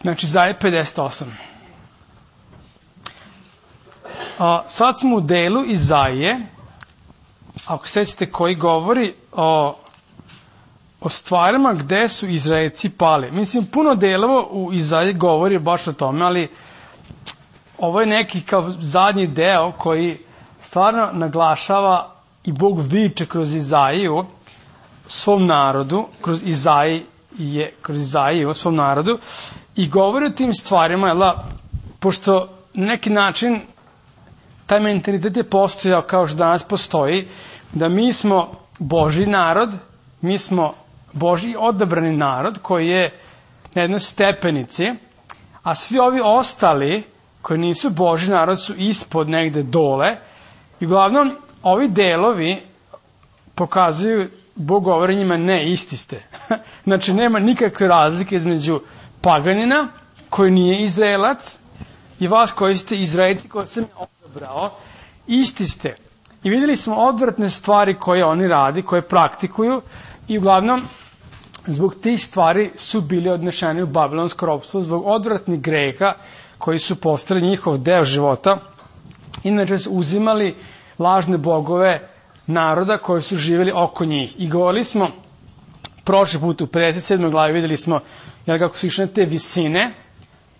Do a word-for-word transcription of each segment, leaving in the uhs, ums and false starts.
Znači, Izaja pedeset osam. A, sad smo u delu Izaije, ako sećate, koji govori o, o stvarima gde su Izraelci pali. Mislim, puno delova u Izaiji govori baš o tome, ali ovo je neki kao zadnji deo koji stvarno naglašava i Bog viče kroz Izaiju svom narodu, kroz Izaije, kroz Izaiju svom narodu i govori o tim stvarima, jel, pošto na neki način taj mentalitet je postojao kao što danas postoji, da mi smo Božji narod, mi smo Božji odabrani narod koji je na jednoj stepenici, a svi ovi ostali koji nisu Božji narod su ispod negde dole i uglavnom ovi delovi pokazuju, Bog govori njima, ne, isti ste. Znači nema nikakve razlike između paganina koji nije Izraelac i vas koji ste Izraelci koji sam odabrao, isti ste. I videli smo odvratne stvari koje oni radi, koje praktikuju i uglavnom zbog tih stvari su bili odnešeni u babilonsko ropstvo, zbog odvratnih greha koji su postali njihov deo života. Inače su uzimali lažne bogove naroda koji su živjeli oko njih. I govorili smo prošli put u pedeset sedmoj glavi, videli smo jel, kako su išli na te visine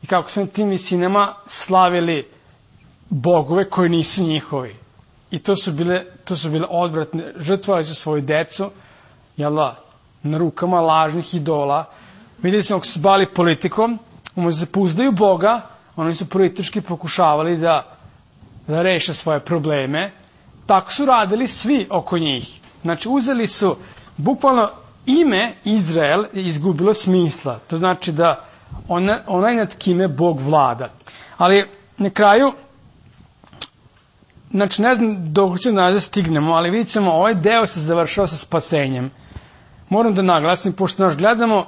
i kako su na tim visinama slavili bogove koji nisu njihovi. I to su bile, to su bile odvratne, žrtvovali su svoju decu, jel, na rukama lažnih idola. Videli smo kako su se bavili politikom, umesto da se pouzdaju Boga, oni su politički pokušavali da, da reše svoje probleme. Tako su radili svi oko njih. Znači, uzeli su, bukvalno ime Izrael je izgubilo smisla. To znači da ona, onaj nad kime Bog vlada. Ali na kraju, znači ne znam dok ćemo da stignemo, ali vidjet ćemo, ovaj deo se završava sa spasenjem. Moram da naglasim, pošto naš gledamo,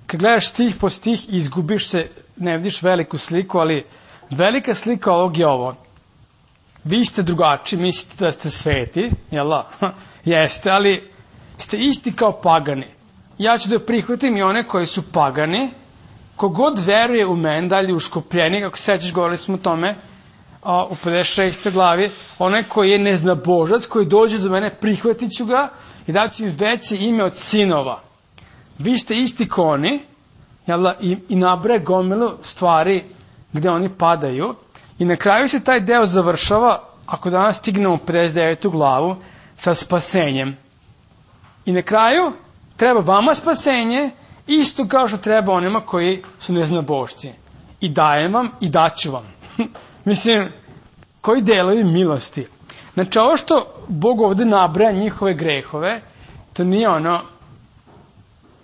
kad gledaš stih po stih i izgubiš se, ne vidiš veliku sliku, ali velika slika ovog je ovo. Vi ste drugačiji, mislite da ste sveti, jel da? Jeste, ali ste isti kao pagani. Ja ću da prihvatim i one koji su pagani, kogod veruje u mene, dalje u Škopljeni, kako sećaš, govorili smo o tome, a, u pedeset šestoj glavi, onaj koji je neznabožac, koji dođe do mene, prihvatit ću ga i daću im veće ime od sinova. Vi ste isti ko oni, jel da? I, i nabraje gomilu stvari gde oni padaju. I na kraju se taj deo završava, ako danas stignemo u pedeset devetu glavu, sa spasenjem. I na kraju treba vama spasenje, isto kao što treba onima koji su neznabošci. I dajem vam i daću vam. Mislim, koji delovi milosti. Znači, ovo što Bog ovde nabraja njihove grehove, to nije ono,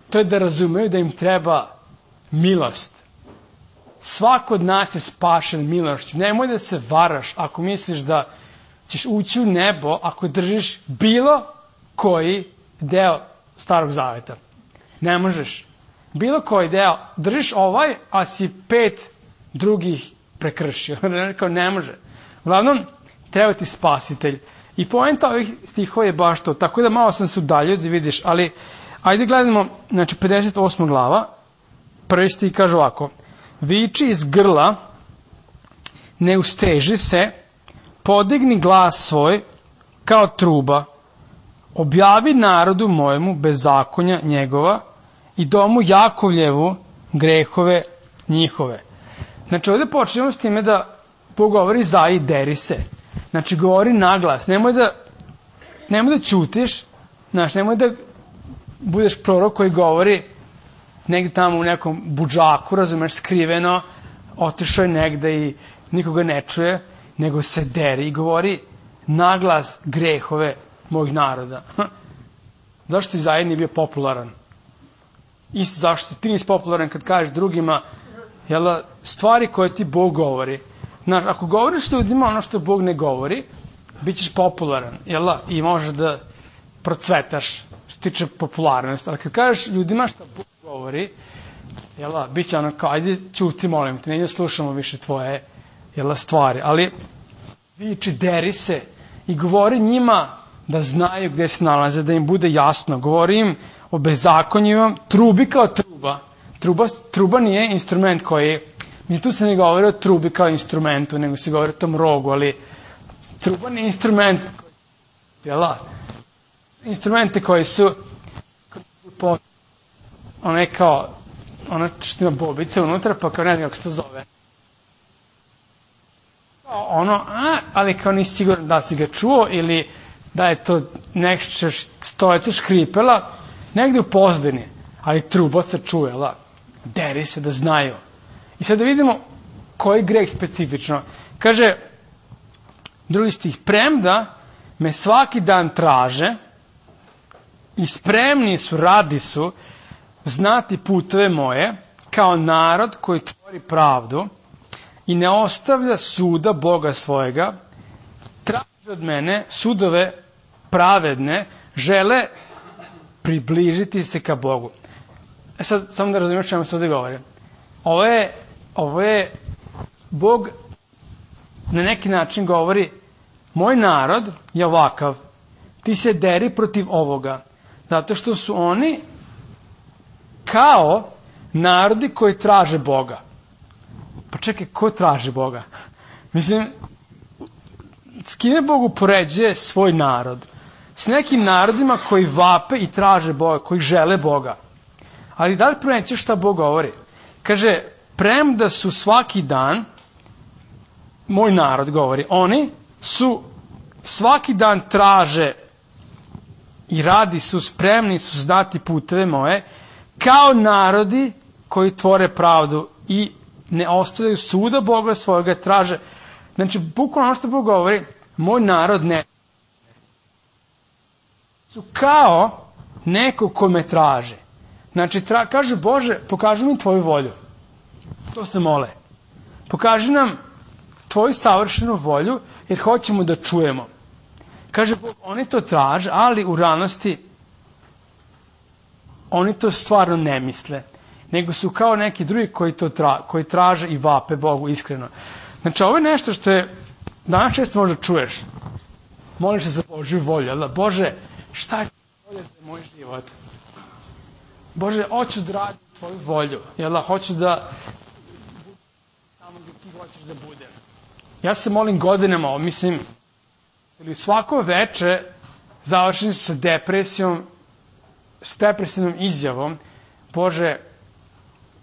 to je da razumeju da im treba milost. Svako od nas je spašen milošću. Nemoj da se varaš ako misliš da ćeš ući u nebo ako držiš bilo koji deo Starog Zaveta. Ne možeš. Bilo koji deo, držiš ovaj, a si pet drugih prekršio. Rekao, ne može. Uglavnom, treba ti spasitelj. I poenta ovih stihova je baš to. Tako da malo sam se udaljio da vidiš, ali ajde gledamo, znači pedeset osma glava, prvi stih kaže ovako. Viči iz grla, ne usteži se, podigni glas svoj kao truba, objavi narodu mojemu bezakonja njegova i domu Jakovljevu grehove njihove. Znači ovdje počnemo s time da Bog govori Izaiji, deri se. Znači govori naglas, nemoj da, nemoj da ćutiš, znači nemoj da budeš prorok koji govori negdje tamo u nekom budžaku, razumeš, skriveno, otišao je negde i nikoga ne čuje, nego se deri i govori naglas grehove mojih naroda. Zašto Izaija nije bio popularan? Isto zašto ti nisi popularan kad kažeš drugima, jel, stvari koje ti Bog govori. Znaš, ako govoriš ljudima ono što Bog ne govori, bit ćeš popularan, jel, i možeš da procvetaš što tiče popularnosti. Ali kad kažeš ljudima što Bog govori, jel, bit će ono kao, ajde ćuti, molim te, ne slušamo više tvoje, jel, stvari. Ali viči, deri se i govori njima da znaju gde se nalaze, da im bude jasno. Govori im o bezakonjima, trubi kao truba. Truba, truba nije instrument koji, mi tu se ne govori o trubi kao instrumentu, nego se govori o tom rogu, ali truba nije instrument, jel da? Instrumente koji su one kao, ona što ima bobice unutra, pa kao ne znam kako se to zove. Ono, a, ali kao nisi siguran da si ga čuo ili da je to nešto stojeća škripela, negde u pozdini, ali truba se čuje, la, deri se da znaju. I sad da vidimo koji greh specifično. Kaže, drugi stih, premda me svaki dan traže i spremni su, radi su, znati putove moje, kao narod koji tvori pravdu i ne ostavlja suda Boga svojega, traže od mene sudove pravedne, žele približiti se ka Bogu. E sad, samo da razumiješ čemu se ovdje govori. Ovo je, ovo je, Bog na neki način govori, moj narod je ovakav, ti se deri protiv ovoga, zato što su oni kao narodi koji traže Boga. Pa čekaj, ko traži Boga? Mislim, s kime Bog upoređuje svoj narod? S nekim narodima koji vape i traže Boga, koji žele Boga. Ali da li pronećeš šta Bog govori? Kaže, premda su svaki dan, moj narod govori, oni su svaki dan traže i radi su, spremni su znati puteve moje, kao narodi koji tvore pravdu i ne ostavljaju suda Boga svojega, traže. Znači, bukvalno ono što Bog govori, moj narod ne. Su kao neko ko me traže. Znači, tra, kaže Bože, pokaži mi tvoju volju. To se mole. Pokaži nam tvoju savršenu volju, jer hoćemo da čujemo. Kaže Bog, oni to traže, ali u realnosti oni to stvarno ne misle. Nego su kao neki drugi koji to tra, koji traže i vape Bogu iskreno. Znači, ovo je nešto što je danas često možda čuješ. Moliš se za Božju volju. Ali, Bože, šta je volja za moj život? Bože, hoću da radim tvoju volju. Jel, hoću da tamo gdje ti hoćeš da budem. Ja se molim godinama, mislim, ili svako veče završim se sa depresijom, s depresivnom izjavom, Bože,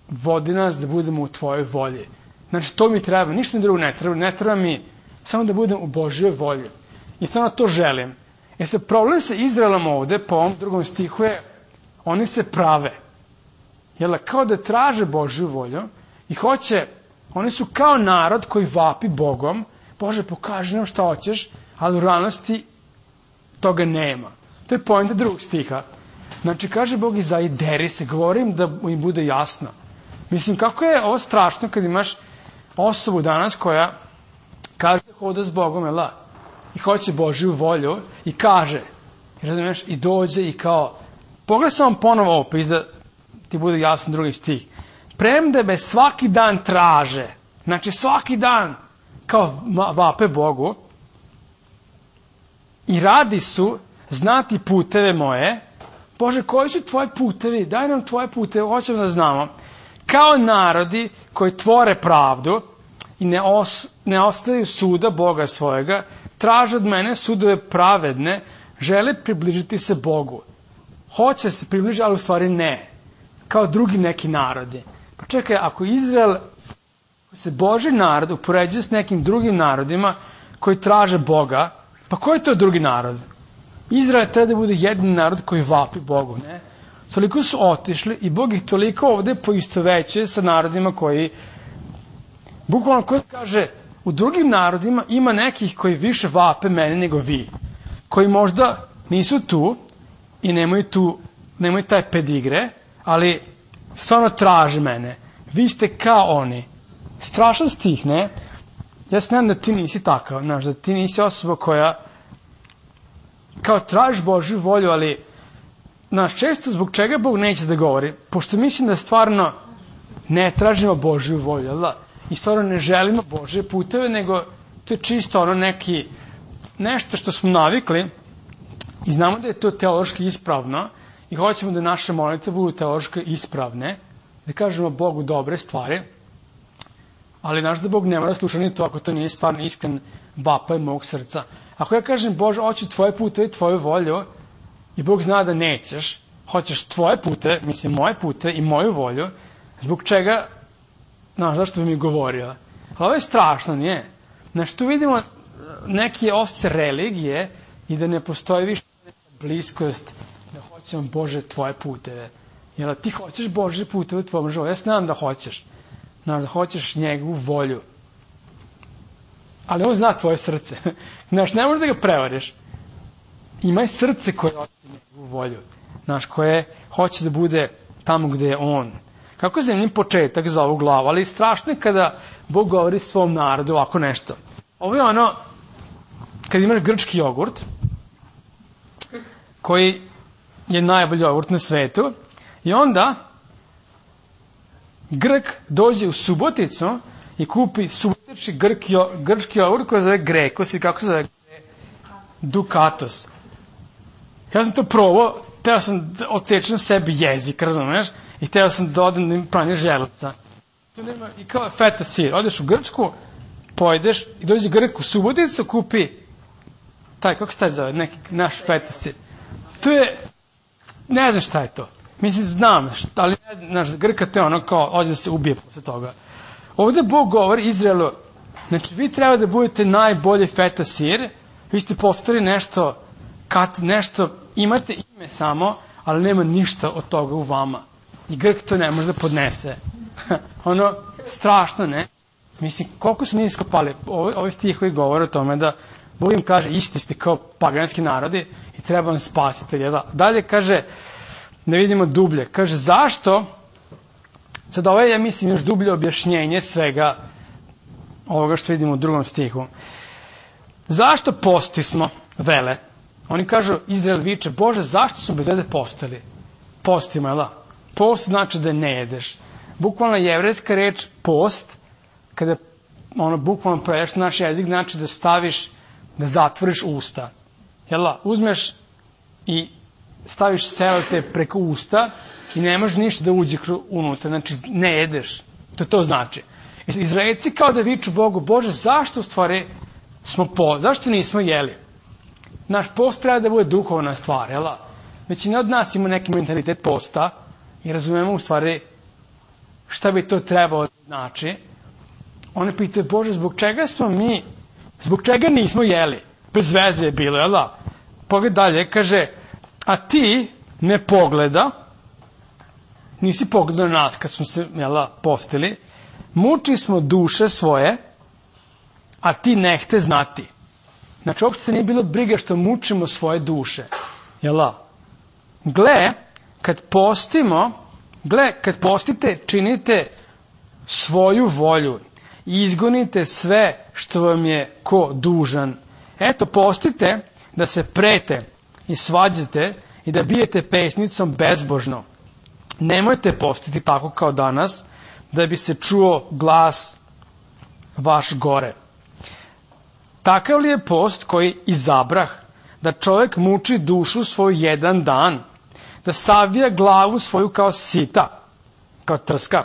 vodi nas da budemo u tvojoj volji. Znači, to mi treba, ništa drugo ne treba, ne treba mi samo da budem u Božjoj volji. I samo to želim. E sad, problem sa Izraelom ovde, po ovom drugom stihu je, oni se prave. Jel, kao da traže Božju volju i hoće, oni su kao narod koji vapi Bogom, Bože, pokaži nam šta hoćeš, ali u realnosti toga nema. To je poenta drugog stiha. Znači, kaže Bog, izaideri se, govorim da im bude jasno. Mislim, kako je ovo strašno kad imaš osobu danas koja kaže da hoda s Bogom, jel da? I hoće Božju volju i kaže, razumiješ, i dođe i kao, pogledaj samo ponovo ovo, pa da ti bude jasno drugi stih. Premda me svaki dan traže, znači svaki dan kao vape Bogu i radi su znati puteve moje. Bože, koji su tvoji putevi? Daj nam tvoje puteve, hoćemo da znamo. Kao narodi koji tvore pravdu i ne, os, ne ostaju suda Boga svojega, traže od mene sudove pravedne, žele približiti se Bogu. Hoće se približiti, ali u stvari ne. Kao drugi neki narodi. Pa čekaj, ako Izrael, ako se Božji narod upoređuje s nekim drugim narodima koji traže Boga, pa koji je to drugi narod? Izrael treba da bude jedini narod koji vapi Bogu, ne? Toliko su otišli i Bog ih toliko ovde poistovećuje sa narodima koji, bukvalno koji kaže, u drugim narodima ima nekih koji više vape mene nego vi, koji možda nisu tu i nemaju tu, nemaju taj pedigre, ali stvarno traže mene. Vi ste kao oni. Strašan stih, ne? Ja se nadam da ti nisi takav, znaš, da ti nisi osoba koja kao tražiš Božju volju, ali znaš, često zbog čega Bog neće da govori, pošto mislim da stvarno ne tražimo Božju volju, jel da? I stvarno ne želimo Božje puteve, nego to je čisto ono neki, nešto što smo navikli i znamo da je to teološki ispravno i hoćemo da naše molitve budu teološki ispravne, da kažemo Bogu dobre stvari, ali znaš da Bog ne mora slušati ni to ako to nije stvarno iskren vapaj mog srca. Ako ja kažem, Bože, hoću tvoje puteve i tvoju volju, i Bog zna da nećeš, hoćeš tvoje puteve, mislim moje puteve i moju volju, zbog čega, znaš, zašto bi mi govorio? Ali ovo je strašno, nije? Znaš, tu vidimo neki osjećaj religije i da ne postoji više bliskost, da hoćemo, Bože, tvoje puteve. Jel, ti hoćeš Bože puteve u tvojom životu? Ja znam da hoćeš. Znaš, da hoćeš njegovu volju. Ali on zna tvoje srce. Znaš, ne možeš da ga prevariš. Imaj srce koje hoće njegovu volju. Znaš, koje hoće da bude tamo gde je on. Kako je zemlji početak za ovu glavu, ali strašno je kada Bog govori svom narodu ovako nešto. Ovo je ono, kad imaš grčki jogurt, koji je najbolji jogurt na svetu, i onda Grk dođe u Suboticu i kupi subotički grki, grčki jogurt koji se zove Grekos i kako se zove Dukatos. Ja sam to probao, teo sam da odsečem sebi jezik, razumeš? I teo sam da odem da im pranje želuca. Tu nema, i kao feta sir. Odeš u Grčku, pojedeš i dođe Grk u Suboticu, kupi taj, kako se taj zove, neki naš feta sir. To je, ne znam šta je to. Mislim, znam, šta, ali ne znam, naš Grka to je ono kao, ovdje da se ubije posle toga. Ovdje Bog govori Izraelu, znači vi treba da budete najbolji feta sir, vi ste postali nešto, kad nešto, imate ime samo, ali nema ništa od toga u vama. I Grk to ne može da podnese. Ono, strašno, ne? Mislim, koliko smo mi iskopali, ovaj, ovaj stih koji govore o tome da Bog im kaže, isti ste kao paganski narodi i treba vam spasitelj. Dalje kaže, ne vidimo dublje, kaže, zašto, sad ovo je, ja mislim, još dublje objašnjenje svega ovoga što vidimo u drugom stihu. Zašto postismo, vele? Oni kažu, Izrael viče, Bože, zašto su bez vede postali? Postimo, jel da? Post znači da ne jedeš. Bukvalno jevrejska reč post, kada ono bukvalno preveš naš jezik, znači da staviš, da zatvoriš usta. Jel da? Uzmeš i staviš selete preko usta i nemaš ništa da uđe unutra, znači ne jedeš. To to znači. Izraelci kao da viču Bogu, Bože, zašto u stvari smo po, zašto nismo jeli? Naš post treba da bude duhovna stvar, jel da? Većina od nas ima neki mentalitet posta i razumemo u stvari šta bi to trebalo da znači. Oni pitaju, Bože, zbog čega smo mi, zbog čega nismo jeli? Bez veze je bilo, jel da? Pogled dalje, kaže, a ti ne pogleda, nisi pogledao na nas kad smo se, jel da, postili, muči smo duše svoje, a ti ne hte znati. Znači, uopšte nije bilo briga što mučimo svoje duše. Jel da? Gle, kad postimo, gle, kad postite, činite svoju volju i izgonite sve što vam je ko dužan. Eto, postite da se prete i svađate i da bijete pesnicom bezbožno. Nemojte postiti tako kao danas, da bi se čuo glas vaš gore. Takav li je post koji izabrah, da čovjek muči dušu svoju jedan dan, da savija glavu svoju kao sita, kao trska,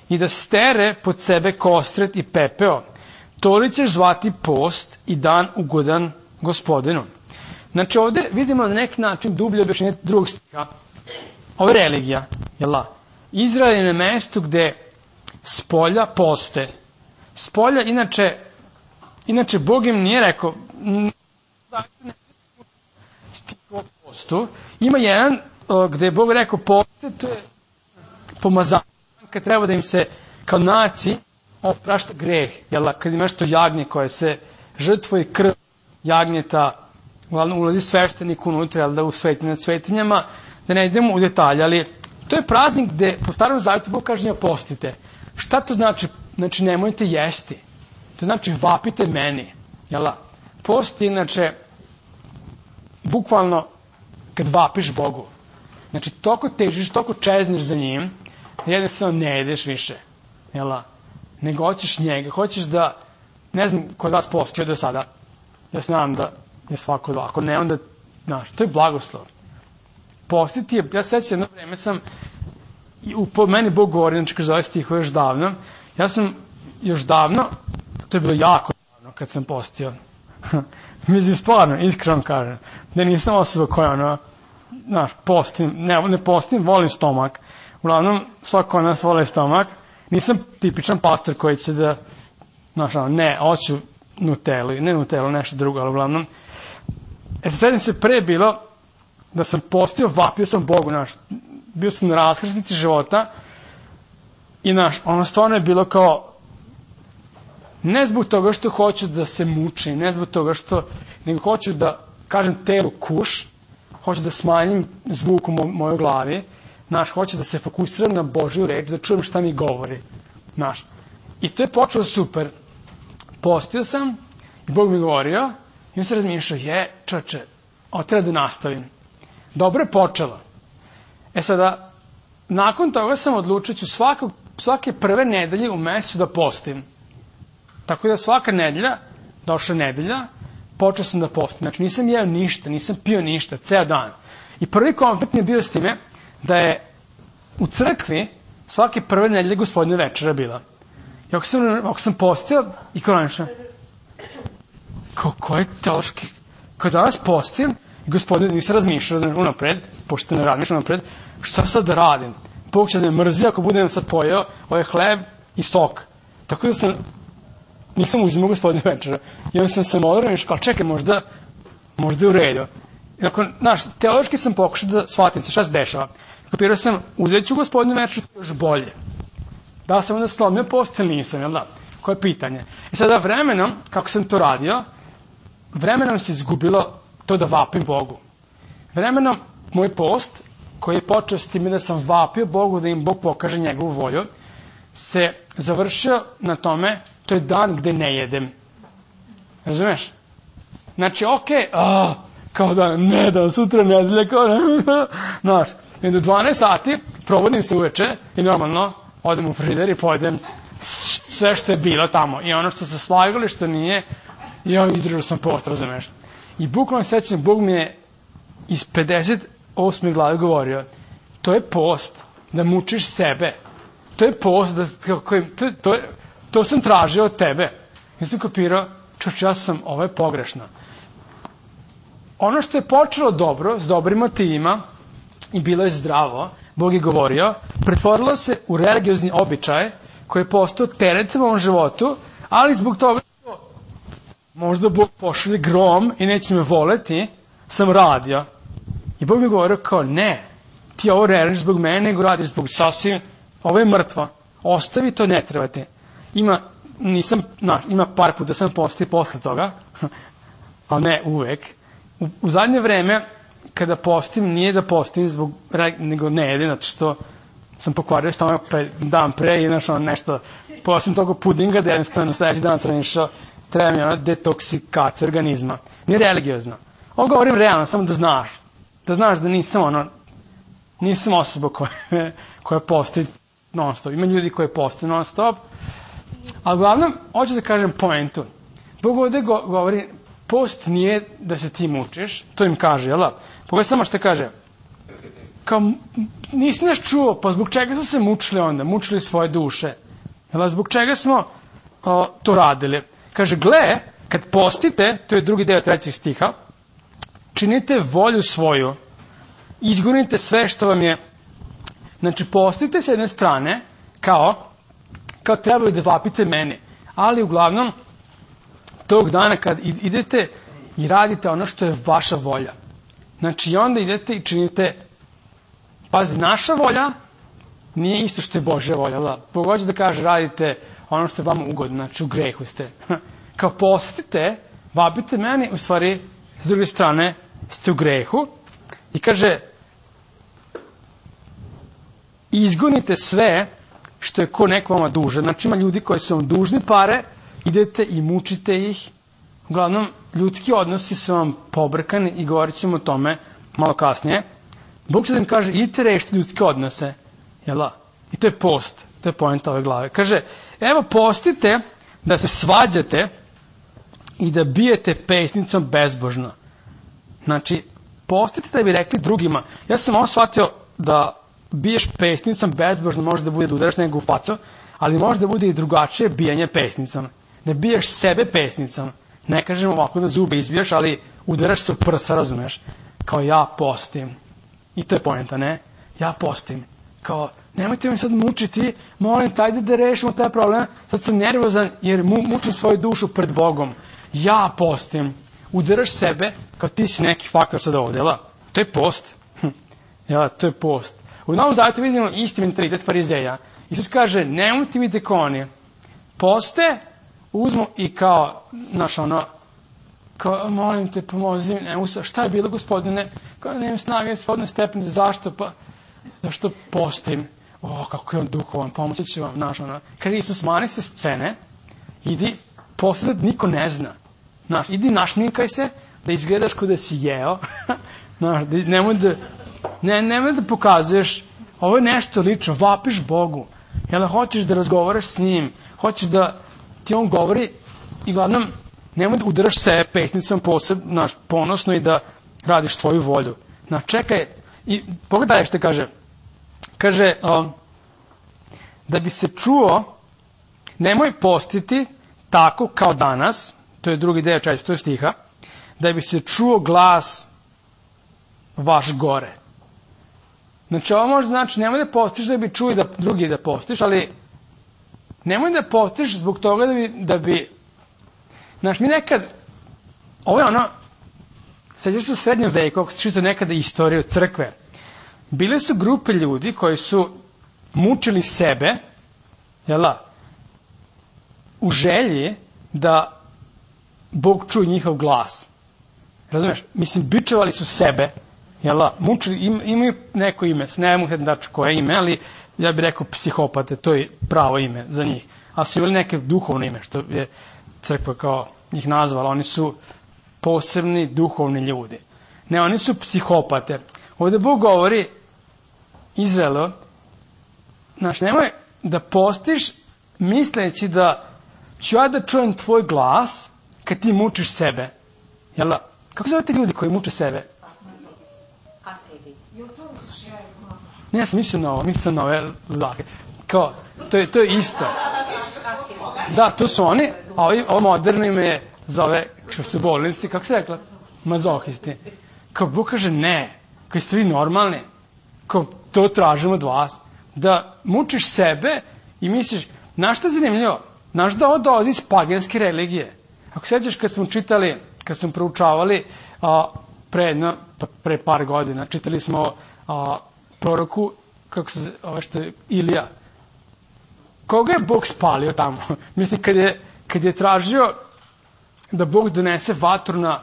i da stere pod sebe kostret i pepeo, to li ćeš zvati post i dan ugodan Gospodinu. Znači ovdje vidimo na neki način dublje objašnjenje drugog stiha. Ovo je religija, jel da? Izrael je na mestu gde spolja poste. Spolja, inače, inače Bog im nije rekao, stiho postu. Ima jedan gde je Bog rekao poste, to je pomazanje, kad treba da im se kao naci oprašta greh, jel da? Kad imaš to jagnje koje se žrtvo i krv jagnjeta, uglavnom ulazi sveštenik unutra, jel da, u svetinje nad svetinjama, da ne idemo u detalje, ali to je praznik gde po starom zavjetu Bog kaže, postite. Šta to znači? Znači, nemojte jesti. To znači, vapite meni. Jel da? Post je, inače, bukvalno, kad vapiš Bogu. Znači, toliko težiš, toliko čezneš za njim, da jednostavno ne jedeš više. Jel da? Nego hoćeš njega. Hoćeš da, ne znam, kod vas postio do sada. Ja znam da je svako dva. Ako ne, onda, znaš, to je blagoslov. Postiti je, ja sećam, jedno vreme sam i u, po meni Bog govori, znači kaže ovaj stih još davno, ja sam još davno, to je bilo jako davno kad sam postio, mislim stvarno, iskreno kažem, da nisam osoba koja ono, znaš, postim, ne, ne postim, volim stomak, uglavnom svako od nas voli stomak, nisam tipičan pastor koji će da, znaš, ono, ne, hoću Nutellu, ne Nutellu, nešto drugo, ali uglavnom, e sad sedim se pre bilo, da sam postio, vapio sam Bogu, znaš, bio sam na raskrsnici života i, znaš, ono stvarno je bilo kao, ne zbog toga što hoću da se mučim, ne zbog toga što, nego hoću da, kažem, telu kuš, hoću da smanjim zvuk u mo- mojoj glavi, znaš, hoću da se fokusiram na Božju reč, da čujem šta mi govori, znaš. I to je počelo super. Postio sam i Bog mi govorio i on se razmišljao, je, čoče, ovo treba da nastavim. Dobro je počelo. E sada, nakon toga sam odlučio ću svakog, svake prve nedelje u mesecu da postim. Tako da svaka nedelja, došla nedelja, počeo sam da postim. Znači nisam jeo ništa, nisam pio ništa, ceo dan. I prvi konflikt mi je bio s time da je u crkvi svake prve nedelje Gospodnja večera bila. I ako sam, ako sam postio i kao nešto, kao ko je teološki, kao danas postim, Gospodin, nisam razmišljao, znači, unapred, pošto ne razmišljam unapred, šta sad da radim? Bog će da me mrzi ako budem sad pojeo ovaj hleb i sok. Tako da sam, nisam uzimao Gospodnju večera. I onda sam se modrao i kao, čekaj, možda, možda je u redu. I ako, znaš, teološki sam pokušao da shvatim se šta se dešava. Kapirao sam, uzet ću Gospodnju večeru još bolje. Da sam onda slomio post ili nisam, jel da? Koje je pitanje? I sada vremenom, kako sam to radio, vremenom se izgubilo to da vapim Bogu. Vremenom, moj post, koji je počeo s time da sam vapio Bogu, da im Bog pokaže njegovu volju, se završio na tome, to je dan gde ne jedem. Razumeš? Znači, okej, okay, kao da ne dan, sutra nedelja, kao da, znaš, i do dvanaest sati provodim se uveče i normalno odem u frižider i pojedem sve što je bilo tamo. I ono što se slagali, što nije, i ja izdržao sam post, razumeš? I bukvalno sećam, Bog mi je iz pedeset osme glave govorio, to je post, da mučiš sebe. To je post, da, kako, to, to, to sam tražio od tebe. Ja sam kopirao, čoč, ja sam, ovo je pogrešno. Ono što je počelo dobro, s dobrim motivima, i bilo je zdravo, Bog je govorio, pretvorilo se u religiozni običaj koji je postao teret u ovom životu, ali zbog toga što možda Bog pošalje grom i neće me voleti, sam radio. I Bog mi govorio kao, ne, ti ovo ne radiš zbog mene, nego radiš zbog sasvim, ovo je mrtvo, ostavi to, ne treba ti. Ima, nisam, na, ima par puta sam postio posle toga, ali ne uvek. U, u zadnje vreme, kada postim, nije da postim zbog, nego ne jedem, zato što sam pokvario stomak pre, dan pre i našao nešto, posljedno toga pudinga, da jednostavno sledeći dan sam išao, treba mi ono detoksikacija organizma. Nije religiozno. Ovo govorim realno, samo da znaš. Da znaš da nisam ono, nisam osoba koja, koja posti non stop. Ima ljudi koji posti non stop, ali uglavnom, hoću da kažem poentu. Bog ovde go, govori, post nije da se ti mučiš, to im kaže, jel da? Pogledaj samo što kaže. Kao, nisi nas čuo, pa zbog čega su se mučili onda? Mučili svoje duše. Jel, zbog čega smo o, to radili? Kaže, gle, kad postite, to je drugi deo trećeg stiha, činite volju svoju, izgonite sve što vam je, znači postite s jedne strane, kao, kao trebaju da vapite mene, ali uglavnom, tog dana kad idete i radite ono što je vaša volja, znači onda idete i činite, pazi, naša volja nije isto što je Božja volja, da, Bog hoće da kaže, radite ono što je vama ugodno, znači u grehu ste, kao postite, vapite mene, u stvari, s druge strane, ste u grehu, i kaže, izgonite sve što je ko neko vama dužan. Znači ima ljudi koji su vam dužni pare, idete i mučite ih. Uglavnom, ljudski odnosi su vam pobrkani i govorit ćemo o tome malo kasnije. Bog će da im kaže, idite rešiti ljudske odnose. Jel da? I to je post. To je poenta ove glave. Kaže, evo postite da se svađate i da bijete pesnicom bezbožno. Znači, postite da bi rekli drugima. Ja sam ovo shvatio da biješ pesnicom, bezbožno može da bude da udaraš nego u facu, ali može da bude i drugačije bijanje pesnicom. Da biješ sebe pesnicom. Ne kažem ovako da zube izbiješ, ali udaraš se u prsa, razumeš? Kao ja postim. I to je poenta, ne? Ja postim. Kao, nemojte mi sad mučiti, molim, tajde da rešimo taj problem. Sad sam nervozan jer mu, mučim svoju dušu pred Bogom. Ja postim. Udaraš sebe kao ti si neki faktor sad ovdje, jel? To je post. Hm. Jel, to je post. U Novom Zavetu vidimo isti mentalitet farizeja. Isus kaže, nemojte mi dekoni. Poste, uzmu i kao, znaš ono, kao, molim te, pomozi, ne usa, šta je bilo, gospodine? Kao, nemam snage, svodne stepenice, zašto? Pa, zašto postim? O, kako je on duhovan, pomoći će vam, znaš ono. Kaže Isus, mani se scene, idi, posle da niko ne zna. Znaš, idi našminkaj se, da izgledaš kao da si jeo, znaš, da, nemoj da, ne, nemoj da pokazuješ, ovo je nešto lično, vapiš Bogu, jel, hoćeš da razgovaraš s njim, hoćeš da ti on govori i glavnom, nemoj da udaraš sebe pesnicom poseb, znaš, ponosno i da radiš tvoju volju. Znaš, čekaj, i pogledaj što kaže, kaže, um, da bi se čuo, nemoj postiti tako kao danas, to je drugi deo četvrtog stiha, da bi se čuo glas vaš gore. Znači, ovo može znači, nemoj da postiš da bi čuo da drugi da postiš, ali nemoj da postiš zbog toga da bi, da bi, znaš, mi nekad, ovo je ono, sećaš se u srednjem veku, ako se čita nekada istoriju crkve, bile su grupe ljudi koji su mučili sebe, jela, u želji da Bog čuje njihov glas. Razumeš? Mislim, bičevali su sebe, jela, mučili, im, imaju neko ime, ne mogu da ću koje ime, ali ja bih rekao psihopate, to je pravo ime za njih. A su imali neke duhovno ime, što je crkva kao njih nazvala, oni su posebni duhovni ljudi. Ne, oni su psihopate. Ovdje Bog govori Izraelu, znaš, nemoj da postiš misleći da ću ja da čujem tvoj glas kad ti mučiš sebe. Jel da? Kako zove te ljudi koji muče sebe? Ne, ja sam mislio na ovo, mislio na ove zlake. Kao, to je, to je isto. Da, to su oni, a ovi, ovo moderno ime je zove, što su bolnici, kako se rekla? Mazohisti. Kao Bog kaže ne, koji ste vi normalni, kao to tražimo od vas, da mučiš sebe i misliš, znaš šta je zanimljivo? Znaš da ovo dolazi iz paganske religije. Ako sećaš kad smo čitali, kad smo proučavali a, pre, jedno, pre par godina, čitali smo a, proroku, kako se zove, što je Ilija. Koga je Bog spalio tamo? Mislim, kad je, kad je tražio da Bog donese vatru na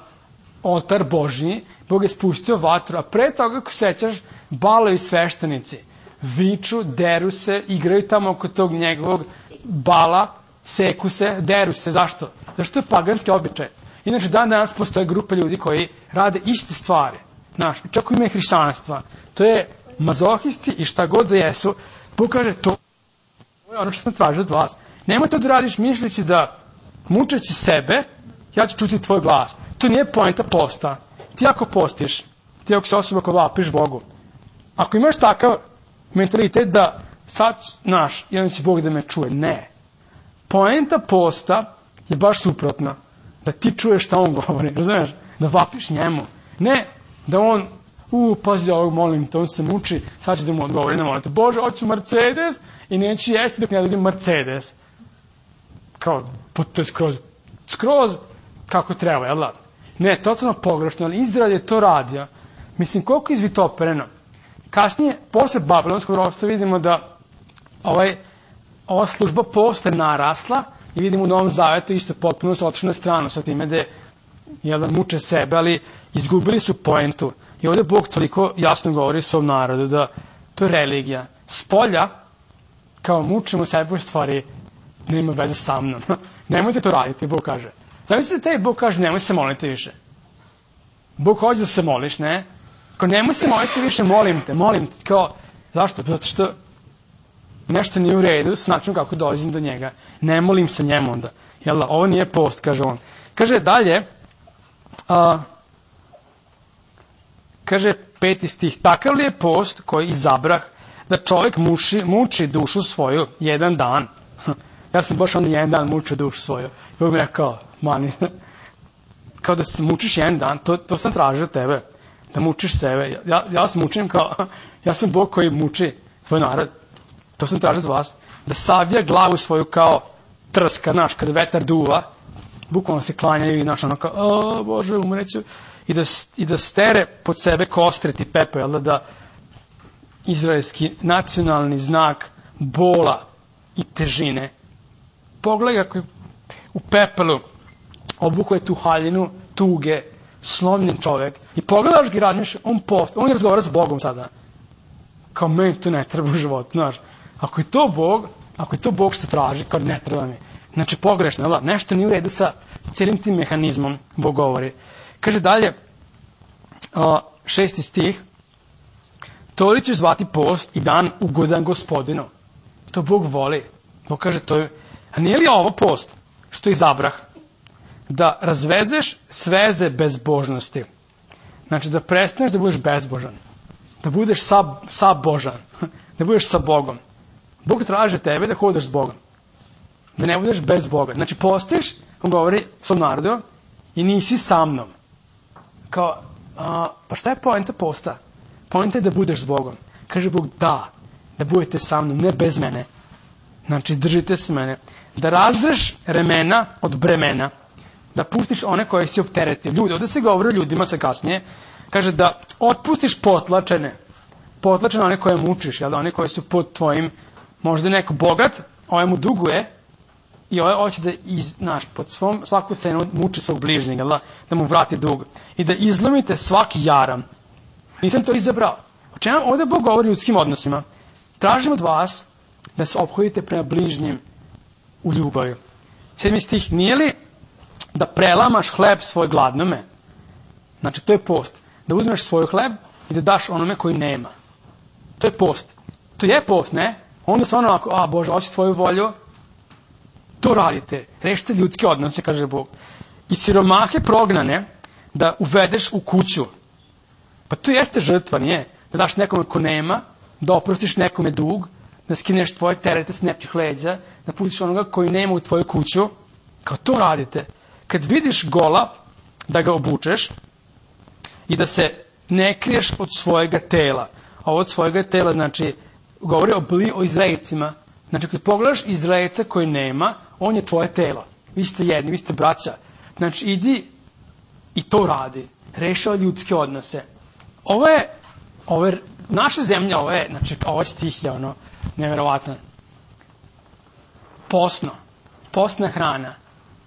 oltar Božji, Bog je spustio vatru, a pre toga, ako sećaš, balovi sveštenici viču, deru se, igraju tamo oko tog njegovog bala, seku se, deru se. Zašto? Zašto je paganski običaj. Inače, dan danas postoje grupe ljudi koji rade iste stvari. Znaš, čak u ime hrišćanstva. To je mazohisti i šta god da jesu. Bog kaže, to je ono što sam tražio od vas. Nemoj to da radiš mišljeći da mučeći sebe, ja ću čuti tvoj glas. To nije poenta posta. Ti ako postiš, ti ako se osoba ko vapiš Bogu, ako imaš takav mentalitet da sad, znaš, jedan će Bog da me čuje. Ne. Poenta posta je baš suprotna. Da ti čuješ šta on govori, razumiješ? Da vapiš njemu. Ne da on, u, pazi ovog, molim te, on se muči, sad će da mu odgovori, ne molite, Bože, hoću Mercedes i neću jesti dok ne dobijem Mercedes. Kao, to je skroz, skroz kako treba, jel da? Ne, totalno pogrešno, ali Izrael je to radio. Mislim, koliko je izvitopereno. Kasnije, posle Babilonskog ropstva, vidimo da ovaj, ova služba posle narasla i vidimo u Novom Zavetu isto potpuno su otišli na stranu sa time da jel da muče sebe, ali izgubili su poentu. I ovdje Bog toliko jasno govori svom narodu da to je religija. Spolja, kao mučimo sebe u stvari, nema veze sa mnom. Nemojte to raditi, Bog kaže. Zamislite te, Bog kaže, nemoj se moliti više. Bog hoće da se moliš, ne? Kao, nemoj se moliti više, molim te, molim te. Kao, zašto? Zato što nešto nije u redu s načinom kako dolazim do njega. Ne molim se njemu onda. Jel da, ovo nije post, kaže on. Kaže dalje, a, kaže peti stih, takav li je post koji izabrah da čovjek muši, muči dušu svoju jedan dan. Ja sam baš onda jedan dan mučio dušu svoju. I Bog mi rekao, mani, kao da se mučiš jedan dan, to, to sam tražio tebe, da mučiš sebe. Ja, ja vas mučim kao, ja sam Bog koji muči tvoj narod. To sam tražio od vas. Da savija glavu svoju kao trska, znaš, kada vetar duva, bukvalno se klanjaju i, znaš, ono kao, o, Bože, umreću. I da, i da stere pod sebe kostret i pepe, jel da, da izraelski nacionalni znak bola i težine. Pogledaj kako je u pepelu obukuje tu haljinu, tuge, slomljen čovjek. I pogledaš ga i radniš, on, post, on razgovara s Bogom sada. Kao meni to ne treba u životu, znaš. Ako je to Bog, ako je to Bog što traži, kao ne treba mi. Znači pogrešno, jel? Nešto nije u redu sa cijelim tim mehanizmom, Bog govori. Kaže dalje, o, šesti stih, to li ćeš zvati post i dan ugodan Gospodinu? To Bog voli. Bog kaže, to je, a nije li ovo post što izabrah? Da razvezeš sveze bezbožnosti. Znači da prestaneš da budeš bezbožan. Da budeš sa, sa Božan. Da budeš sa Bogom. Bog traži tebe da hodaš s Bogom. Da ne budeš bez Boga. Znači postiš, on govori svom narodu, i nisi sa mnom. Kao, a, pa šta je poenta posta? Poenta je da budeš s Bogom. Kaže Bog, da, da budete sa mnom, ne bez mene. Znači, držite se mene. Da razreš remena od bremena. Da pustiš one koje si opteretio. Ljudi, ovdje se govori o ljudima sa kasnije. Kaže da otpustiš potlačene. Potlačene one koje mučiš, jel da, one koje su pod tvojim, možda neko bogat, ovaj mu duguje, i ovaj hoće da, iz, znaš, pod svom, svaku cenu muči svog bližnjeg, da, da mu vrati dug. I da izlomite svaki jaram. Nisam to izabrao. O čemu ovdje Bog govori o ljudskim odnosima? Tražim od vas da se ophodite prema bližnjim u ljubavi. Sedmi stih, nije li da prelamaš hleb svoj gladnome? Znači, to je post. Da uzmeš svoj hleb i da daš onome koji nema. To je post. To je post, ne? Onda se ono ako, a Bože, hoću tvoju volju, to radite. Rešite ljudske odnose, kaže Bog. I siromahe prognane da uvedeš u kuću. Pa to jeste žrtva, nije? Da daš nekome ko nema, da oprostiš nekome dug, da skineš tvoje terete s nečih leđa, da pustiš onoga koji nema u tvoju kuću. Kao to radite. Kad vidiš gola, da ga obučeš i da se ne kriješ od svojega tela. Ovo od svojega tela, znači, govori o, bli, o Izraelcima. Znači, kad pogledaš Izraelca koji nema, on je tvoje telo. Vi ste jedni, vi ste braća. Znači, idi i to radi. Rešava ljudske odnose. Ovo je, ovo je, naša zemlja, ovo je, znači, ovo stih je ono, nevjerovatno. Posno. Postna hrana.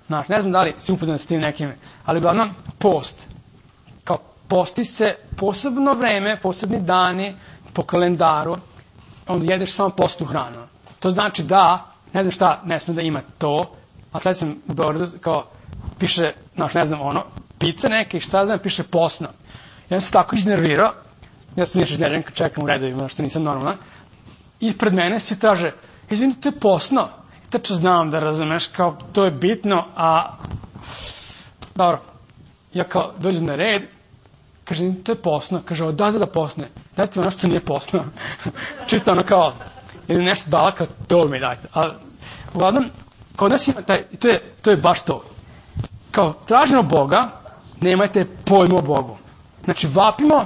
Znači, ne znam da li si upoznat s tim nekim, ali uglavnom, post. Kao, posti se posebno vreme, posebni dani, po kalendaru, onda jedeš samo postnu hranu. To znači da, ne znam šta, ne smije da ima to, a sad sam u Beogradu, kao, piše, znači, ne znam, ono, pizza neke i šta znam, piše posno. Ja sam se tako iznervirao, ja sam nešto iznerviran kad čekam u redovima, što nisam normalan, i pred mene svi traže, izvinite, to je posno. I tačno znam da razumeš, kao, to je bitno, a, dobro, ja kao, dođem na red, kaže, to je posno, kaže, o, da, da, da, posne, dajte mi ono što nije posno. Čisto ono kao, ili nešto dala, kao, to mi dajte. Ali, uglavnom, kod nas ima taj, to je, to je baš to. Kao, tražimo Boga, nemajte pojma o Bogu. Znači, vapimo,